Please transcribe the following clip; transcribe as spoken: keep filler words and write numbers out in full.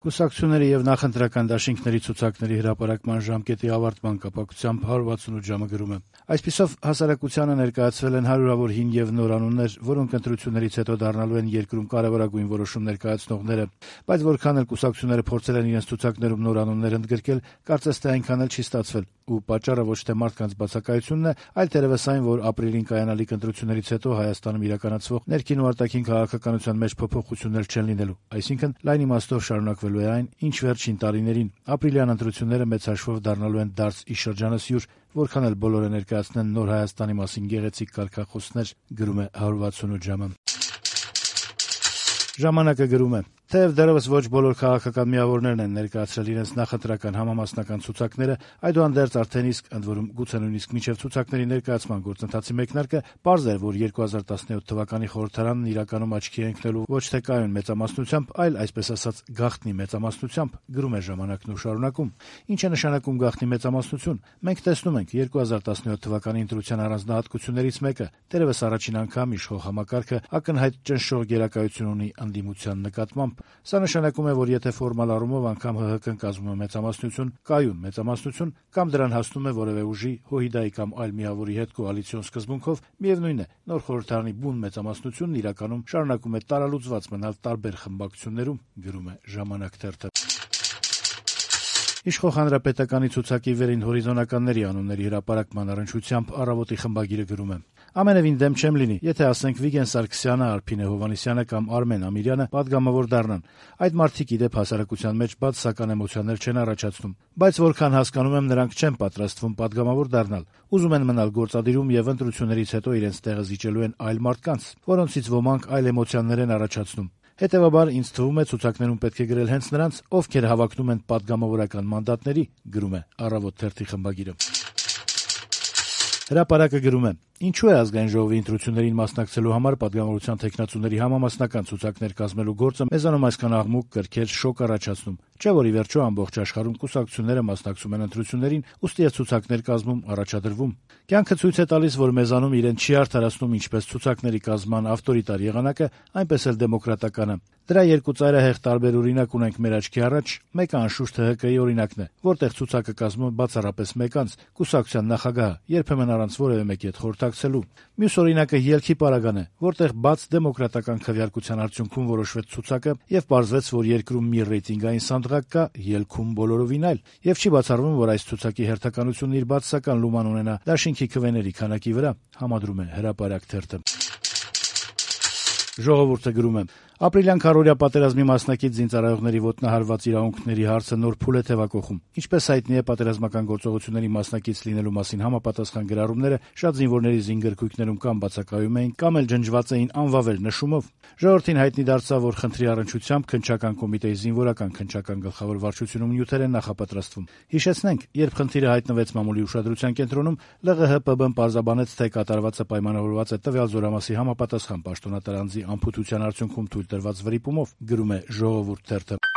Կուսակցությունների եւ նախընտրական դաշինքների ցուցակների հրապարակման ժամկետի ավարտման կապակցությամբ հարյուր վաթսունութ ժամը գրում է. Այսպիսով հասարակությանը ներկայացվել են հարյուրավոր հին եւ նոր անուններ, որոնք ընտրություններից հետո դառնալու են երկրում կարեւորագույն որոշումներ կայացնողները, բայց որքան էլ կուսակցությունները փորձել են իրենց ցուցակներում նոր անուններ ընդգրկել, կարծես թե այնքան էլ չի ստացվել, ու պատճառը ոչ թե մարդկանց բացակայությունն է, այլ թերևս այն, որ ապրիլին կայանալիք ընտրություններից հետո Հայաստանում իրականացվող ներքին ու արտաքին քաղաքականության մեջ փոփոխություններ չեն լինելու, այսինքն լայն իմաստով շարունակվելու է այն, ինչ վերջին տարիներին ապրիլյան ընտրությունները մեծ հաշվով դառնալու են դարձ ի շրջանասյուր, որքան էլ բոլորը ներկայացնեն նոր Հայաստանի մասին գեղեցիկ կարգախոսներ, գրում է հարյուր վաթսունութ ժամը։ Ժամանակը գրում է. Թեև դեռևս ոչ բոլոր քաղաքական միավորներն են ներկայացրել իրենց նախընտրական համամասնական ցուցակները, այդուհանդերձ արդեն իսկ, ընդ որում գուցե նույնիսկ մինչև ցուցակների ներկայացման գործընթացի մեկնարկը, պարզ էր, որ երկու հազար տասնյոթ թվականի խորհրդարանն իրականում աչքի է ընկնելու ոչ թե կայուն մեծամասնությամբ, այլ այսպես ասած գաղտնի մեծամասնությամբ, գրում է ժամանակն ու շարունակում։ Ինչ է նշանակում գաղտնի մեծամասնություն։ Մենք տեսնում ենք երկու հազար տասնյոթ թվականի ընտրության առանձնահատկություններից մեկը, դեռևս առաջին անգամ իշխող համակարգը ակնհայտ ճնշող գերակայություն ունի ընդդիմության նկատմամբ։ Սա նշանակում է, որ եթե ֆորմալ առումով անգամ ՀՀԿ-ն կազմում է մեծամասնություն, կայուն մեծամասնություն, կամ դրան հասնում է որևէ ուժի, ՀՅԴ-ի կամ այլ միավորի հետ կոալիցիոն սկզբունքով, միևնույն է, նոր խորհրդարանի բուն մեծամասնությունն իրականում շարունակում է տարալուծված մնալ տարբեր խմբակցություններում, գրում է Ժամանակ թերթը։ Իշխող հանրապետականի ցուցակի վերին հորիզոնականների անունների հրապարակման առնչությամբ Առավոտի խմբագիրը գրում է. Ամենևին դեմ չեմ լինի, եթե ասենք Վիգեն Սարգսյանը, Արփինե Հովհաննիսյանը կամ Արմեն Ամիրյանը պատգամավոր դառնան։ Այդ մարդիկ ի դեպ հասարակության մեջ բացասական էմոցիաներ չեն առաջացնում, բայց որքան հասկանում եմ, նրանք չեն պատրաստվում պատգամավոր դառնալ։ Ուզում են մնալ գործադիրում եւ ընտրություններից հետո իրենց տեղը զիջելու են այլ մարդկանց, որոնցից ոմանք այլ էմոցիաներ են առաջացնում։ Հետևաբար ինձ թվում է ցուցակներում պետք է գրել հենց նրանց, ովքեր հավակնում են պատգամավորական մանդատների, գրում է Առավոտ թերթի խմբագիրը։ Հրապարակը գրում է. Ինչու է ազգային ժողովի ընտրություններին մասնակցելու համար պատգամավորության թեկնածուների համամասնական ցուցակներ կազմելու գործը մեզանում այսքան աղմուկ, կրքեր, շոկ առաջացնում։ Չէ՞ որ ի վերջո ամբողջ աշխարհում կուսակցությունները մասնակցում են ընտրություններին, ուստի է ցուցակներ կազմում, առաջադրվում։ Կյանքը ցույց է տալիս, որ մեզանում իրեն չի արդարացնում ինչպես ցուցակների կազմման ավտորիտար եղանակը, այնպես էլ դեմոկրատականը։ Դրա երկու ծայրահեղ տարբեր օրինակ ունենք մեր աչքի առաջ, մեկը անշուշտ ՀՀԿ-ի օրինակն է, որտեղ ցուցակը կազմում բացառապես մեկ անձ, կուսակցության նախագահը, երբեմն առանց որևէ մեկի հետ խորհրդակցելու։ Մյուս օրինակը ելքի պարագան է, որտեղ բաց դեմոկրատական քվեարկության արդյունքում որոշվեց ցուցակը եւ պարզվեց, որ երկրում մի ռեյտինգային սանդղակ կա, ելքում բոլորովին այլ, եւ չի բացառվում, որ այս ցուցակի հերթականությունն իր բացասական լուման ունենա դաշինքի քվեների քանակի վրա, համադրում է Հրապարակ թերթը։ Ժողովուրդը գրում է. Ապրիլյան քառօրյա պատերազմի մասնակից զինծառայողների ոտնահարված իրավունքների հարցը նոր փուլ է թևակողում։ Ինչպես հայտնի է, պատերազմական գործողությունների մասնակից լինելու մասին համապատասխան գրառումները շատ զինվորների զինգրքույկներում կամ բացակայում էին, կամ էլ ջնջված էին անվավեր նշումով։ Ժողովրդին հայտնի դարձավ, որ խնդրի առնչությամբ քննչական կոմիտեի զինվորական քննչական գլխավոր վարչությունում նյութեր են նախապատրաստվում։ Հիշեցնենք, երբ խնդիրը հայտնվեց մամուլի ուշադրության կենտրոնում, ԼՂՀ-ՊԲ-ն պարզաբանեց, թե կատարվածը պայմանավորված է տվյալ զորամասի համապատասխան պաշտոնատար անձի անփութության արդյունքում թույլ տրված վրիպումով, գրում է Ժողովուրդ թերթը։